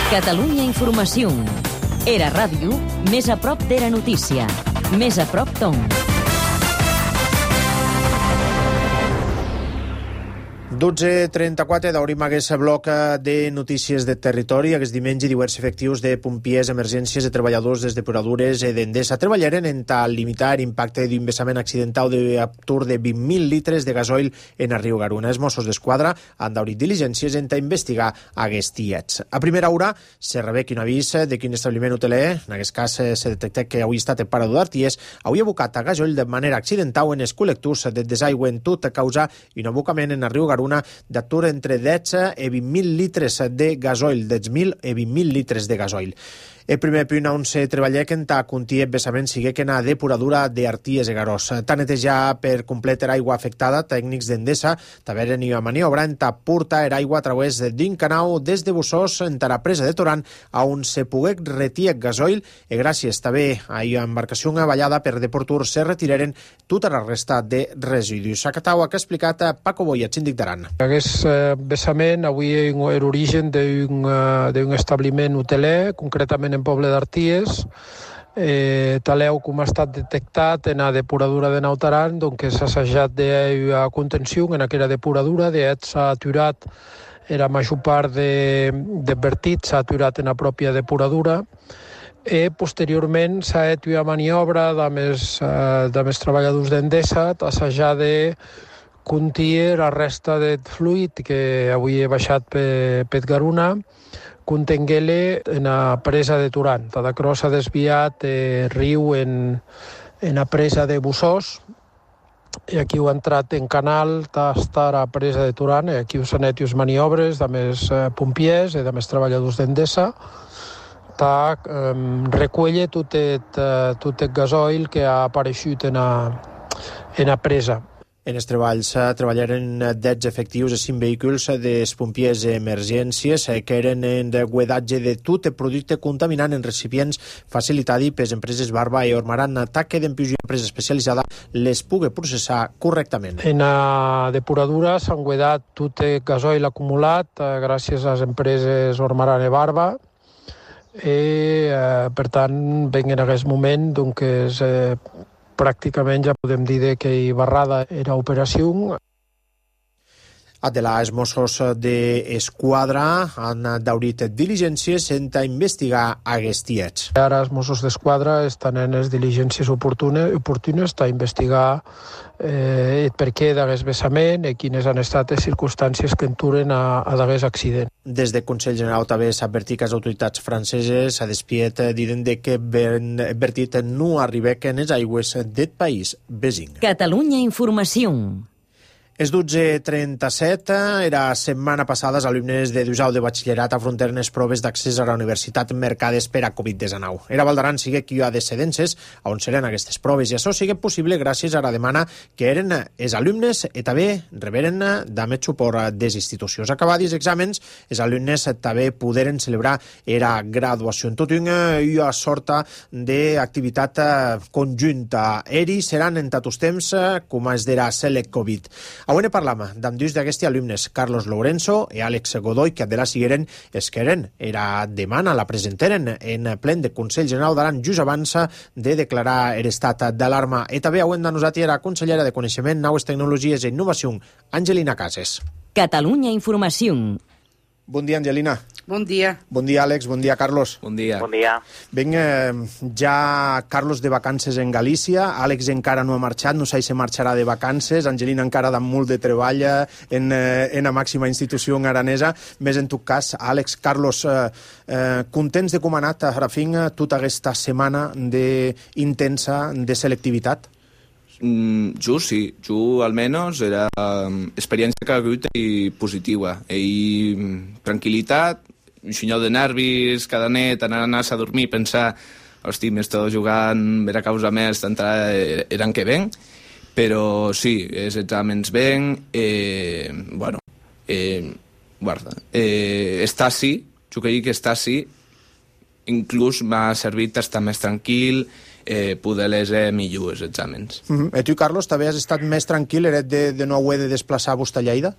Catalunya Informació. Era ràdio, més a prop d'Era Notícia. Més a prop d'on. 12:34 d'obrim aquest bloc de notícies de territori. Aquest diumenge diversos efectius de pompiers, emergències i treballadors des depuradures d'Endesa treballaren en tal limitar l'impacte d'un vessament accidental d'aptur de 20.000 litres de gasoil en el riu Garuna. Els Mossos d'Esquadra han d'obrir diligències en investigar aquests fets. A primera hora se rebé un avís de quin establiment hoteler, en aquest cas se detecta que avui estat en parador d'Arties, havia abocat a gasoil de manera accidental en els col·lectors de desaigüe en tot a causa un abocament en el riu Garuna d'atur entre 10 i 20.000 litres de gasoil, 10.000 i 20.000 litres de gasoil. El primer punt on se treballa que en ta contia vessament sigue que na depuradura d'Arties i Garós. Ta netejar per complet l'aigua afectada, tècnics d'Endesa t'haveren i a maniobra en ta porta l'aigua a través d'un canal des de Bussós en ta la presa de Toran on se pogué retirar gasoil i gràcies també a una embarcació ballada per Deportur se retiraren tota la resta de residus. Acatau que ha explicat Paco Boya, síndic d'Aran. Aquest vessament avui era origen d'un establiment hoteler, concretament en Poble d'Arties. Taleu com ha estat detectat en la depuradura de Nautaran, que s'ha assajat de contenció en aquella depuradura, s'ha aturat la major part de vertit, s'ha aturat en la pròpia depuradura. Posteriorment s'ha fet una maniobra de més treballadors d'Endesa, assajar de contir la resta de fluid que avui he baixat per Garuna, contengué-le en la presa de Turan. Cada cros s'ha desviat riu en la presa de Bussós, i aquí ho ha entrat en canal, està la presa de Turan, i aquí s'han fet les maniobres de més pompiers i de més treballadors d'Endesa, recull tot el gasoil que ha aparegut en la presa. En els treballs treballaren 10 efectius i 5 vehicles dels pompiers d'emergències que eren en guedatge de tot el producte contaminant en recipients facilitat per les empreses Barba i Ormaran que d'empius i empresa especialitzada les pugui processar correctament. En la depuradura s'han guedat tot el gasoil acumulat gràcies a les empreses Ormaran i Barba i per tant en aquest moment doncs pràcticament ja podem dir que hi barrada era operació. Els Mossos d'Esquadra han d'obrir diligències en investigar aquests fets. Ara els Mossos d'Esquadra estan en les diligències oportunes a investigar el perquè d'aquest vessament i quines han estat les circumstàncies que enturen a d'aquest accident. Des del Consell General també s'ha advertit que les autoritats franceses s'ha despiet dient que vertit no arriba en les aigües del país vecí. Catalunya Informació. És 12:37. Era setmana passada els alumnes de Dusau de batxillerat afrontaren les proves d'accés a la universitat mercades per a Covid-19. Era Val d'Aran sigue qui ha descedences on seran aquestes proves i això sigue possible gràcies a la demana que eren els alumnes i també reberen també suport des institucions. Acabats els exàmens, els alumnes també poderen celebrar la graduació en tot una sorta d'activitat conjunta. Ells seran en tots temps com es dirà Select Covid. Avui parlam d'amb dos d'aquests alumnes, Carlos Lourenço i Àlex Godoy, que de la sigueren es que eren. Era demana, la presenteren en plen de Consell General d'Aran just abans de declarar l'estat d'alarma. I també avui nosaltres era consellera de Coneixement, Noves Tecnologies i Innovació, Angelina Cases. Catalunya Informació. Bon dia, Angelina. Bon dia. Bon dia, Àlex. Bon dia, Carlos. Bon dia. Bon dia. Ja Carlos de vacances en Galícia, Àlex encara no ha marxat, no sé si marxarà de vacances, Angelina encara amb molt de treball en la màxima institució aranesa. Més en tot cas, Àlex, Carlos, contents de com ha anat a fin tota aquesta setmana intensa de selectivitat? Jo sí, jo almenys era experiència que ha hagut i positiva. I tranquil·litat, un xinyol de nervis cada nit, anar-se a dormir, pensar, hosti, m'estava jugant, era causa més, eren que ben, però sí, els exàmens ben, guarda, estar sí, jo crec que estar sí, inclús m'ha servit estar més tranquil, poder leser millor els exàmens. I tu, Carlos, també has estat més tranquil, eres de no haver de desplaçar-vos a Lleida?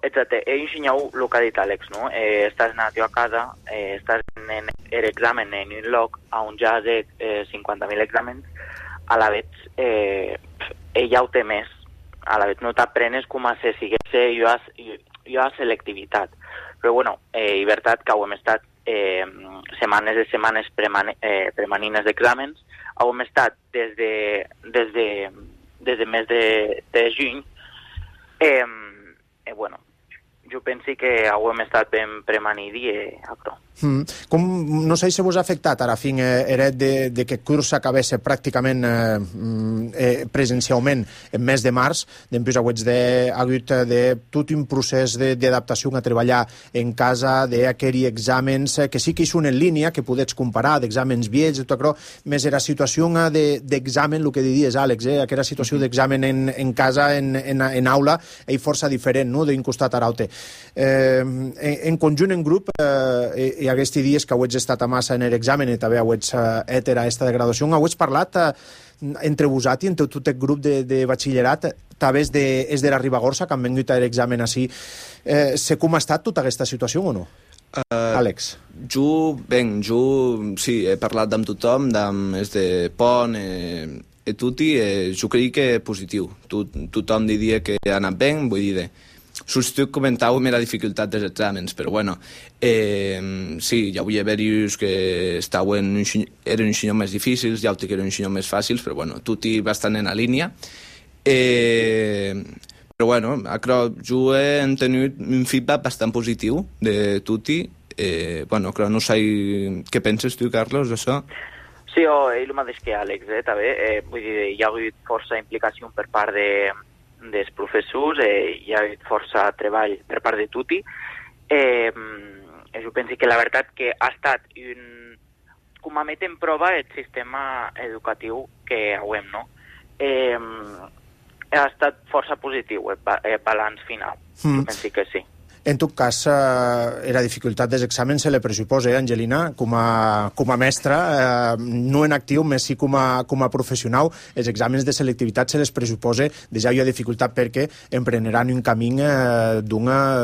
exacte, ensenyeu el que ha dit Àlex, no? Estàs anat a casa, estàs en l'examen en un lloc on ja ha 50.000 exàmens, a la vez ella ho té més, a la vez no t'aprenes com a se siguesse jo a selectivitat. Però bueno, és veritat que hem estat setmanes premanines d'exàmens, hem estat des de mes de juny, bueno, jo penso que hem estat ben premanidi a prou. No sé si vos ha afectat ara fin eret de que curs s'acabés pràcticament presencialment en mes de març, després hagut de tot un procés d'adaptació a treballar en casa, d'aquests exàmens que sí que hi són en línia, que podets comparar d'exàmens vells, tot això, més era situació d'examen, el que diries, Àlex, aquella situació d'examen en casa, en aula, és força diferent, no?, d'un costat a l'altre. En conjunt, en grup, i aquests dies que heu estat a massa en l'examen i també heu heter a aquesta degradació, heu parlat entre vosaltres i entre tot el grup de batxillerat, també és de la Ribagorça, que han vingut a l'examen així. Sé com ha estat tota aquesta situació o no? Àlex. Jo sí, he parlat amb tothom, és de Pont, tutti, jo crec que és positiu. Tothom diria que ha anat bé, vull dir, substitut comentàvem la dificultat dels exàmens, però bueno, sí, hi havia varios que eren un xinyo més difícils, hi ha que eren un xinyo més fàcils, però bueno, tutti bastant en la línia. Però bueno, jo he tingut un feedback bastant positiu de tutti. Bueno, no sé què penses tu, Carlos, d'això? Sí, és el mateix que Àlex, també. Vull dir, hi ha hagut força implicació per part dels professors, hi ha hagut força treball per part de tutti. Jo penso que la veritat que ha estat com a met en prova el sistema educatiu que hauem, no? Ha estat força positiu el balanç final. Jo penso que sí. En tot cas, la dificultat dels exàmens se li pressuposa, Angelina, com a mestra, no en actiu, més sí com a professional. Els exàmens de selectivitat se les pressuposa, ja hi ha dificultat perquè empreneran un camí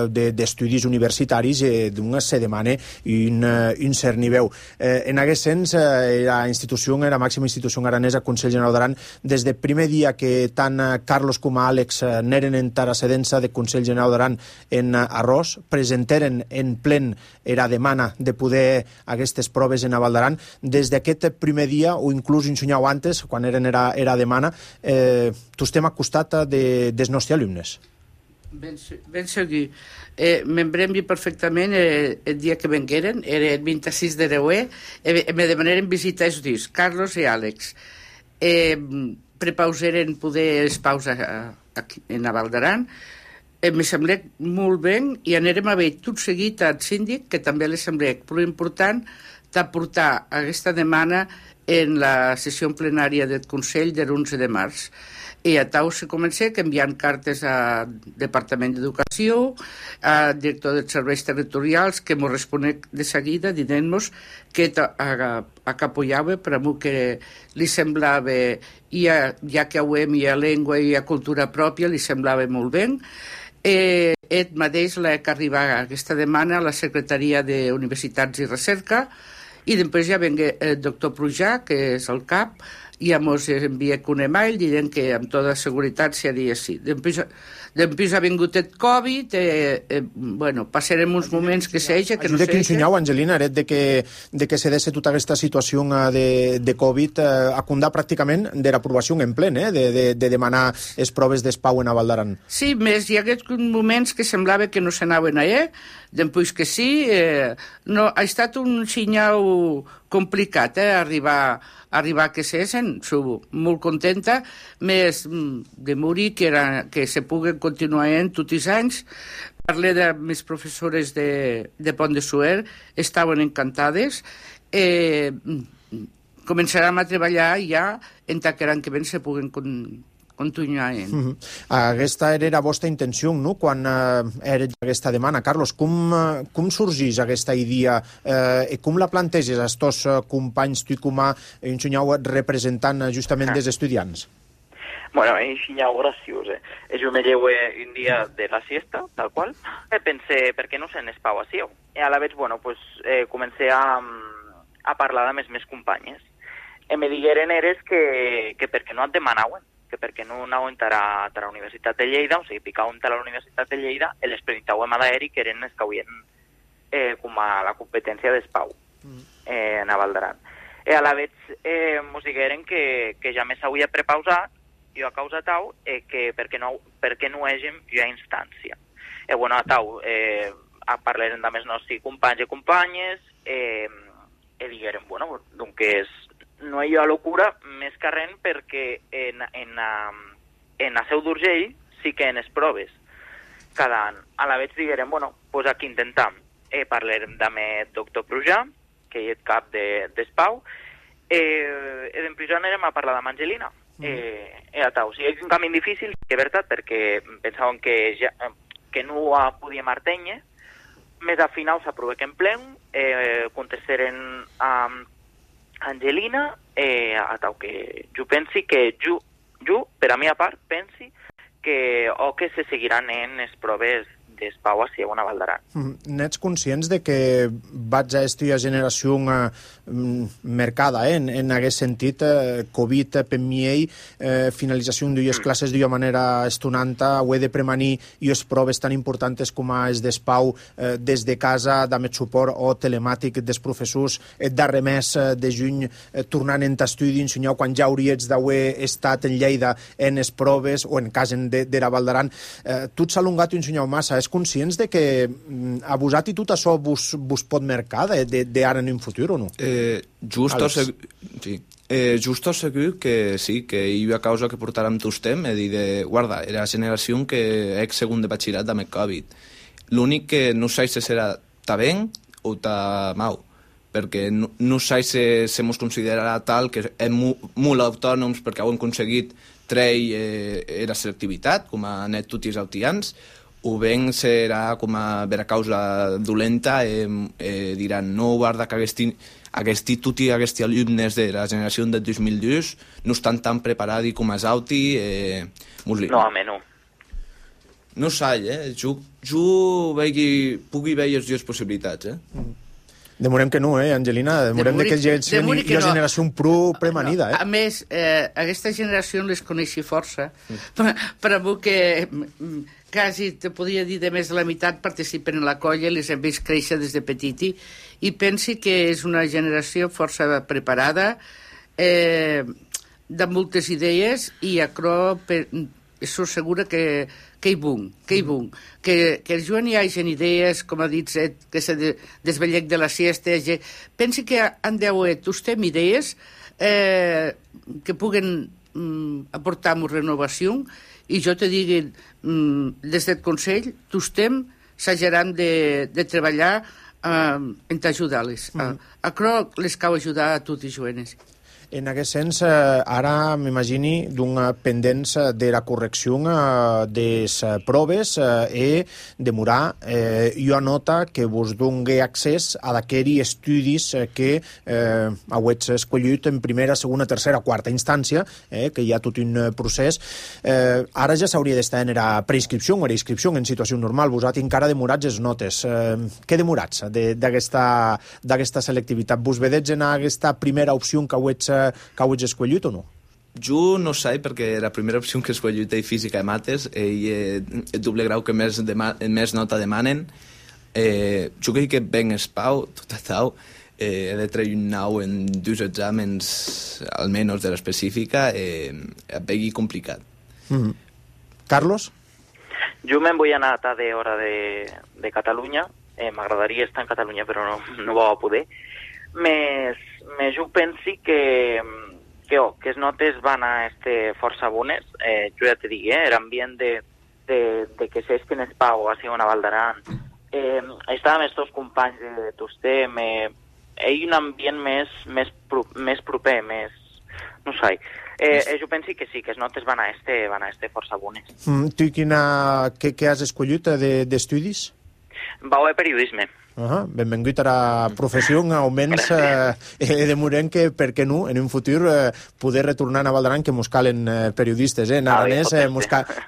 d'estudis universitaris d'on se demana un cert nivell. En aquest sens, la màxima institució aranesa, Consell General d'Aran, des del primer dia que tant Carlos com Àlex n'eren en tarassedença de Consell General d'Aran en Arròs, presentaren en plen la demana de poder aquestes proves en Val d'Aran. Des d'aquest primer dia, o inclús un senyal antes, quan eren era demana, tu estem al costat dels nostres alumnes. Ben segur. M'embrem perfectament el dia que vengueren, era el 26 de Reuer, me demanaren visitar els dies, Carlos i Àlex. Prepauseren poder espausa en Val d'Aran. Me sembla molt bé i anirem a veure tot seguit al síndic, que també li sembla prou important d'aportar aquesta demanda en la sessió plenària del Consell de l'11 de març. I a tau se comença enviant cartes al Departament d'Educació, al director dels serveis territorials, que ens responec de seguida dient-nos que apoyava per a mi que li semblava, ja que hi ha llengua i hi ha cultura pròpia, li semblava molt bé. Ell mateix l'ha que arribar a aquesta demanda a la Secretaria d'Universitats i Recerca i després ja venga el doctor Prujà, que és el cap, i ens envia un email dient que amb tota seguretat seria així. Després ha vingut el Covid, passarem uns moments que s'eixa, que no s'eixa. Ajuda que ensenyau, Angelina, de que se desse tota aquesta situació de Covid a condar pràcticament de l'aprovació en plen, de demanar les proves d'espau en Val d'Aran. Sí, més hi ha moments que semblava que no s'anaven allà, després que sí, ha estat un senyal complicat, arribar que s'essen, soc molt contenta, més de morir que se puguen continuar tots els anys. Parlé de mes professores de Pont de Suert, estaven encantades. Començarem a treballar ja en l'any que ven se puguen continuar. Aquesta era la vostra intenció, no?, quan era aquesta demanda. Carlos, com sorgís aquesta idea i com la planteges als teus companys, tu com a representant justament dels estudiants? Bueno, així ja graciós, Jo me llevo un dia de la siesta, tal qual. Pensé, per què no se'n espau així? I a la vegada, bueno, pues, comencé a parlar amb els meus companyes. I me digueren eres que per què no et demanaven, que per què no anaven a la Universitat de Lleida, o sigui, picaven a la Universitat de Lleida i les presentàvem a l'aeri, que eren els que havien com a la competència d'espau en a Val d'Aran. I a la vegada mos digueren que ja me s'havia prepausat, jo a causa tau, que per què no hàgem ja instància. Bueno, a tau, parlaren amb els nostres companys i companyes, i digueren, bueno, doncs no hi ha locura més que res perquè en la Seu d'Urgell sí que en les proves cada any. A la vegada digueren, bueno, doncs aquí intentam. Parlarem amb el doctor Prujà, que és cap d'espau, i d'emprisó anirem a parlar amb Angelina. O sigui, és un camí difícil, de veritat, perquè pensaven que no podíem artenye, més al final s'aprovà que en plen, contestaren a Angelina, que jo pensi que jo, per a mi a part, pensi que se seguiran en les proves d'espau a Val d'Aran. N'ets conscients de que vaig a esta generació mercada en aquest sentit, Covid per mi finalització d'ues classes d'una manera estonanta, ho he de premanir i les proves tan importants com és d'espau des de casa, amb el suport o telemàtic dels professors, darrer mes de juny tornant en t'estudi, ensenyar quan ja hauries d'haver estat en Lleida en les proves o en cas de la Val d'Aran. Tu ets alungat i ensenyau massa, és conscients de que a vosaltres i tot això vos pot marcar d'ara en un futur o no? Justo segur que sí, que hi ha causa que portarem tot temps, és dir, guarda, era la generació que és segon de batxillerat amb el Covid. L'únic que no sé si serà ta ben o ta mau, perquè no sé si se mos considerarà tal que és molt autònoms perquè ho hem aconseguit treure la selectivitat, com a net tots els autians, o ben serà com a vera causa dolenta diran, no, guarda que tots aquests alumnes de la generació del 2002 no estan tan preparats com els auti. No, home, no. No sé, jo pugui veure les dues possibilitats, Demorem que no, Angelina? Demorem que hi ha generació premanida, A més, aquesta generació les coneixi força, però que quasi te podria dir de més de la meitat participen en la colla, les hem vist créixer des de petiti, i pensi que és una generació força preparada, de moltes idees, i acro soc segura que hi bun, que el Joan hi hagi idees, com ha dit, que se desvellec de la siesta, pensi que han d'haver tostem idees que puguen aportar una renovació, i jo te digui, des del Consell, tostem s'hageran de treballar en t'ajudar-les. Acro les cau ajudar a tots els jovenes. En aquest sens, ara m'imagini d'una pendència de la correcció de les proves i demorar. Jo anota que vos doni accés a d'aquells estudis que heu escollit en primera, segona, tercera, quarta instància, que hi ha tot un procés. Ara ja s'hauria d'estar en la preinscripció o la inscripció en situació normal. Vosaltres encara demorats les notes. Què demorats d'aquesta selectivitat? Vos vedets en aquesta primera opció que heu escollit o no? Jo no sé, perquè la primera opció que he escollit és física i mates, i el doble grau que més nota demanen. Jo crec que ben espau, tot això, he de treure un 9 en 2 exàmens, almenys de l'específica, vegi complicat. Carlos? Jo me'n vull anar a d'hora de Catalunya. M'agradaria estar en Catalunya, però no va poder. Més jo pensi que les notes van a força bones. Jo ja te dic, l'ambient de que s'estin espau a Segona Val d'Aran. Estàvem els dos companys de Tostem, hi ha un ambient més proper, més... no sé. Jo pensi que sí, que les notes van a força bones. Tu què has escollit d'estudis? Va haver periodisme. Benvingut a la professió, almenys demorem que, per què no, en un futur poder retornar a Val d'Aran, que mos calen periodistes, en aranès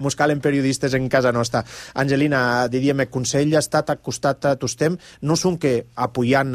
mos calen periodistes en casa nostra. Angelina, diríem, el Consell ha estat al costat tostem, no són que apoyant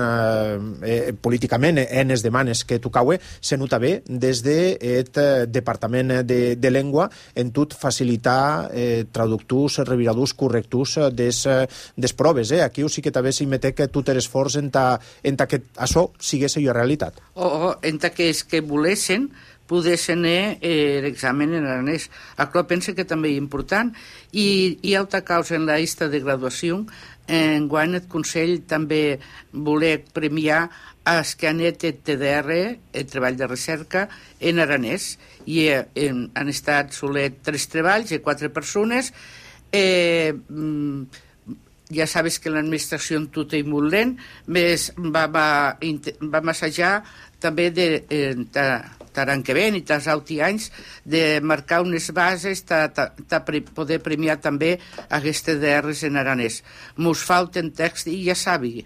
políticament enes demanes que tocaue, se nota bé des del Departament de Llengua en tot facilitar traductors, reviradors, correctors des proves. Aquí sí que també s'hi que tot l'esforç en que això sigués una realitat. O en que és que volessin podessin l'examen en aranès. Això penso que també és important. I hi ha altra causa en la llista de graduació. Enguany el Consell també voler premiar els que han fet el TDR, el treball de recerca, en aranès. I han estat solet 3 treballs i 4 persones. Ja sabes que l'administració en tot és molt lent, va assajar també l'any que ven i els altres anys de marcar unes bases de poder premiar també aquestes DRs en aranès. Mos falten text i ja sabi,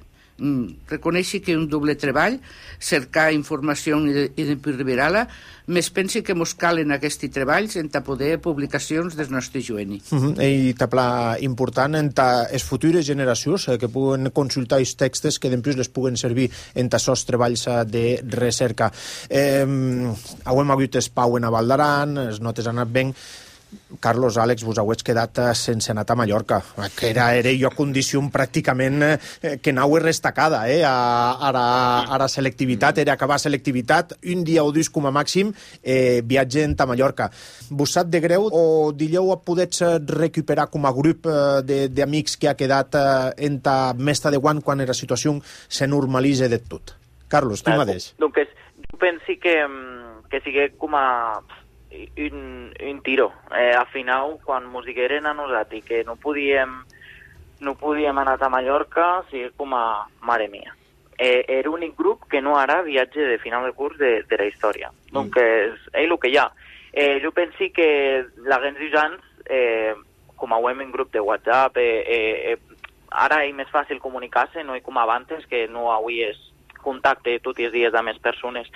reconeixi que un doble treball, cercar informació i revirar-la, més pensi que mos calen aquests treballs en poder publicacions del nostre jueni. I també important en les futures generacions que puguen consultar els textos que després les puguen servir en aquests treballs de recerca. Hem hagut espau en Val d'Aran, les notes han anat ben. Carlos, Àlex, vos heu quedat sense anar a Mallorca, que era jo condició pràcticament que anau restacada a la selectivitat, era acabar selectivitat, un dia o dos com a màxim, viatgen a Mallorca. Vos sap de greu o dieu podets recuperar com a grup d'amics que ha quedat en ta mesta de guant quan la situació se normalitza de tot? Carlos, tu mateix. Doncs jo penso que sigui com a un tiro. Al final, quan mos digueren a nosaltres que no podíem anar a Mallorca, sigui com a mare mia. Era l'únic grup que no ara viatge de final de curs de la història. Donc, és el que hi ha. Jo penso que la gens d'usants, com a en grup de WhatsApp, ara és més fàcil comunicar-se, no com abans, que no avui és contacte tots els dies amb les persones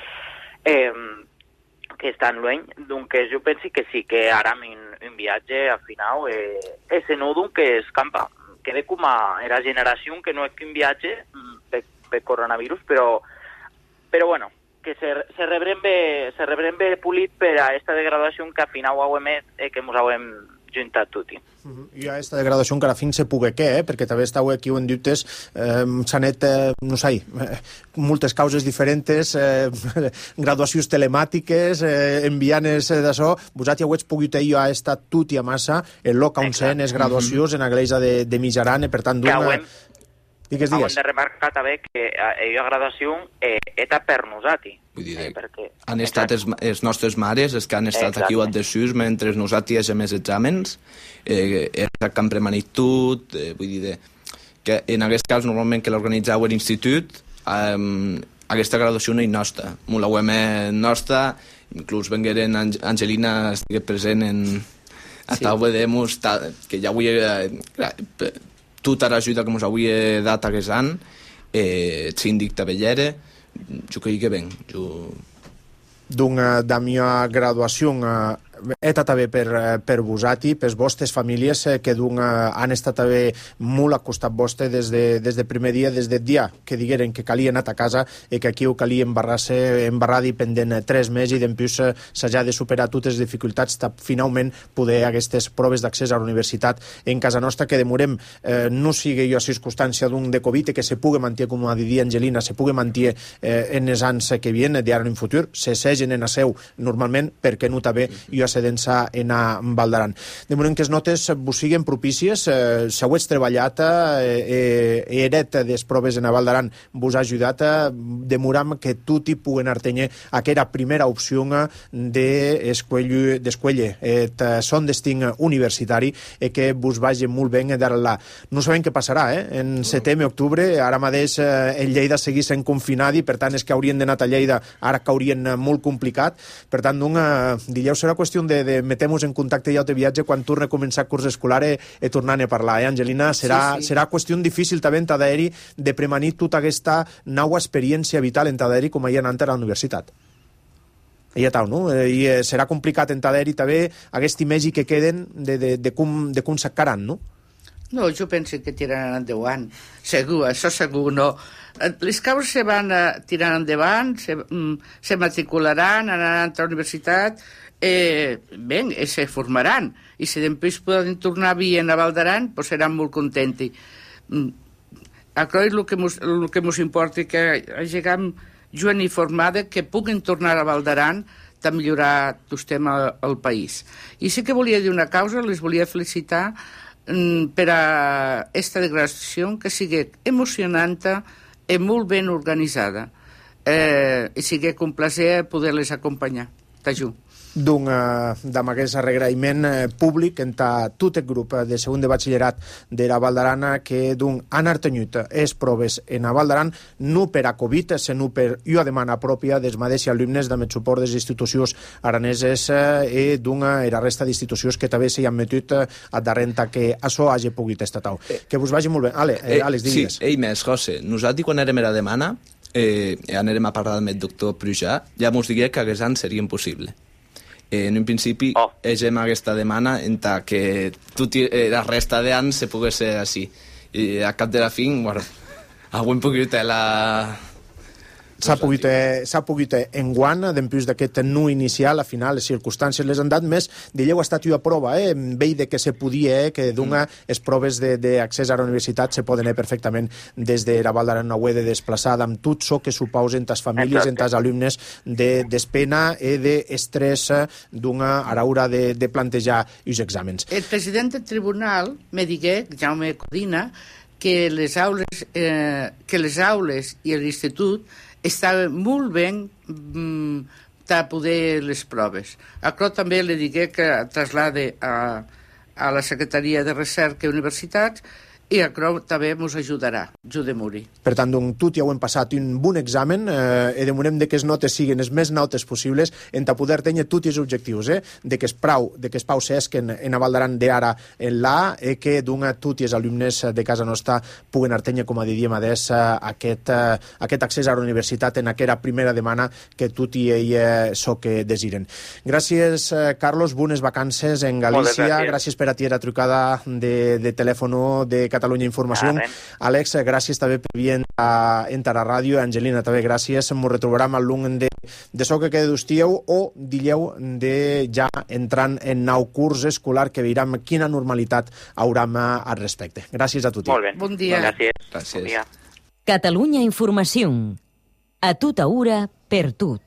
que estan lluny, doncs jo penso que sí, que ara un viatge al final és no que escampa, queda com a la generació que no és que un viatge per coronavirus, però bueno, que se rebrem bé polit per a aquesta degradació que al final que ens hem juntat tutti. Hi ha aquesta degradació encara fins se pugui perquè també estàu aquí en dubtes, s'han net, no sé, moltes causes diferents, graduacions telemàtiques, envianes d'això, vosaltres ja ho heu pogut jo ha estat tot i a massa, el loc on sent les graduacions en la iglesia de Mijaran, per tant, digues. Hem de remarcar també que la graduació era per nosaltres. Vull dir, han estat els nostres mares, els que han estat aquí o adhesius mentre nosaltres hem els exàmens, que han premanit tot, vull dir, que en aquest cas normalment que l'organitzau l'institut, aquesta graduació no és nostra, molt la UEM nostra, inclús vengueren Angelina estigué present a tal vedemos, que ja avui tota l'ajuda que ens havia dat aquest any, el síndic de Bellera, jo crec que ben. Doncs da mia graduació eta també per vosaltres, per vostres famílies que han estat també molt al costat vostre des del primer dia, des del dia que digueren que calia anar a casa i que aquí ho calia embarrar i pendent 3 mesos i després s'ha de superar totes les dificultats de finalment poder aquestes proves d'accés a la universitat en casa nostra, que demorem no sigui a circumstància d'un de Covid que se pugui mantenir, com ha dit Angelina, se pugui mantenir en els anys que vienen, d'ara en un futur, se segen en a seu normalment, perquè no també jo se densa en a Val d'Aran. De moment que les notes vos siguen propícies, si heu treballat, eret des proves en a Val d'Aran vos ha ajudat, demoram que tot hi puguen artenyer aquella primera opció d'escuelle, son destin universitari, que vos vagi molt bé d'ara. No sabem què passarà, en setembre, octubre, ara mateix en Lleida seguís en confinat i per tant és que haurien d'anar a Lleida, ara que haurien molt complicat, per tant, dijous serà qüestió qüestió de metem-nos en contacte ja de viatge quan torna a començar curs escolar i tornant a parlar, Angelina? Serà qüestió difícil també en Tadaeri de premanir tota aquesta nova experiència vital en Tadaeri com hi ha anat a la universitat. Ja tal, no? I serà complicat en Tadaeri també aquest imagi que queden de com s'acaran, no? No, jo penso que tiraran endavant. Segur, això segur, no. Les causes se van tirant endavant, se matricularan, anaran a la universitat, se formaran. I si després poden tornar a vir a Val d'Aran, pues seran molt contents. Això és el que ens importa, que hagin gent informada que puguin tornar a Val d'Aran de millorar el al país. I sí que volia dir una cosa, les volia felicitar per a aquesta declaració que sigui emocionant i molt ben organitzada. I sigui un plaer poder-les acompanyar. T'ajudo. Amb aquest agraïment públic en tot el grup de segon de batxillerat de la Val d'Aran que han artenyut les proves en la Val d'Aran no per a Covid, sinó per una demanda pròpia dels mateixos alumnes amb el suport de les institucions araneses i la resta d'institucions que també s'hi han metut a darrere que això hagi pogut estar tau. Que vos vagi molt bé. Àlex, digues. Sí, més, José. Nosaltres quan érem a la demana anèrem a parlar amb el doctor Prujà, ja mos digué que aquest any seria impossible. En un principi, hagem aquesta demanda en que la resta d'anys se pogués ser així. I a cap de la fin, bueno, avui hem pogut la... S'ha pogut enguant, després d'aquest no inicial, al final les circumstàncies les han dat més, d'elleu ha estat una prova, veig que se podia, que les proves d'accés a la universitat se poden perfectament des de la Val d'Aran no ho he de desplaçar amb tot això que suposen les famílies, els alumnes, d'espena i d'estrès a l'hora de plantejar els exàmens. El president del tribunal me digué, Jaume Codina, que les aules i l'institut estaven molt ben de poder les proves. Això també li digué que traslade a la Secretaria de Recerca i Universitats i això també ens ajudarà, ajudem-hi. Per tant, tot ja ho hem passat un bon examen i demanem que les notes siguin les més notes possibles en poder tenir tots els objectius, de que es pau s'esquen en Val d'Aran d'ara en l'A i que tots els alumnes de casa nostra puguen tenir, com diríem adés, aquest accés a la universitat en aquella primera demana que tot i ell que desiren. Gràcies, Carlos, bones vacances en Galícia, gràcies per a ti la trucada de telèfon de Catalunya Informació. Àlex, gràcies també per venir a la ràdio. Angelina, també gràcies. Ens retrobarem al lung de so que queda d'estieu o dilleu de ja entrant en nou curs escolar que veurem quina normalitat haurem al respecte. Gràcies a tothom. Molt bé. Bon dia. Gràcies. Catalunya Informació. A tota hora, per tot.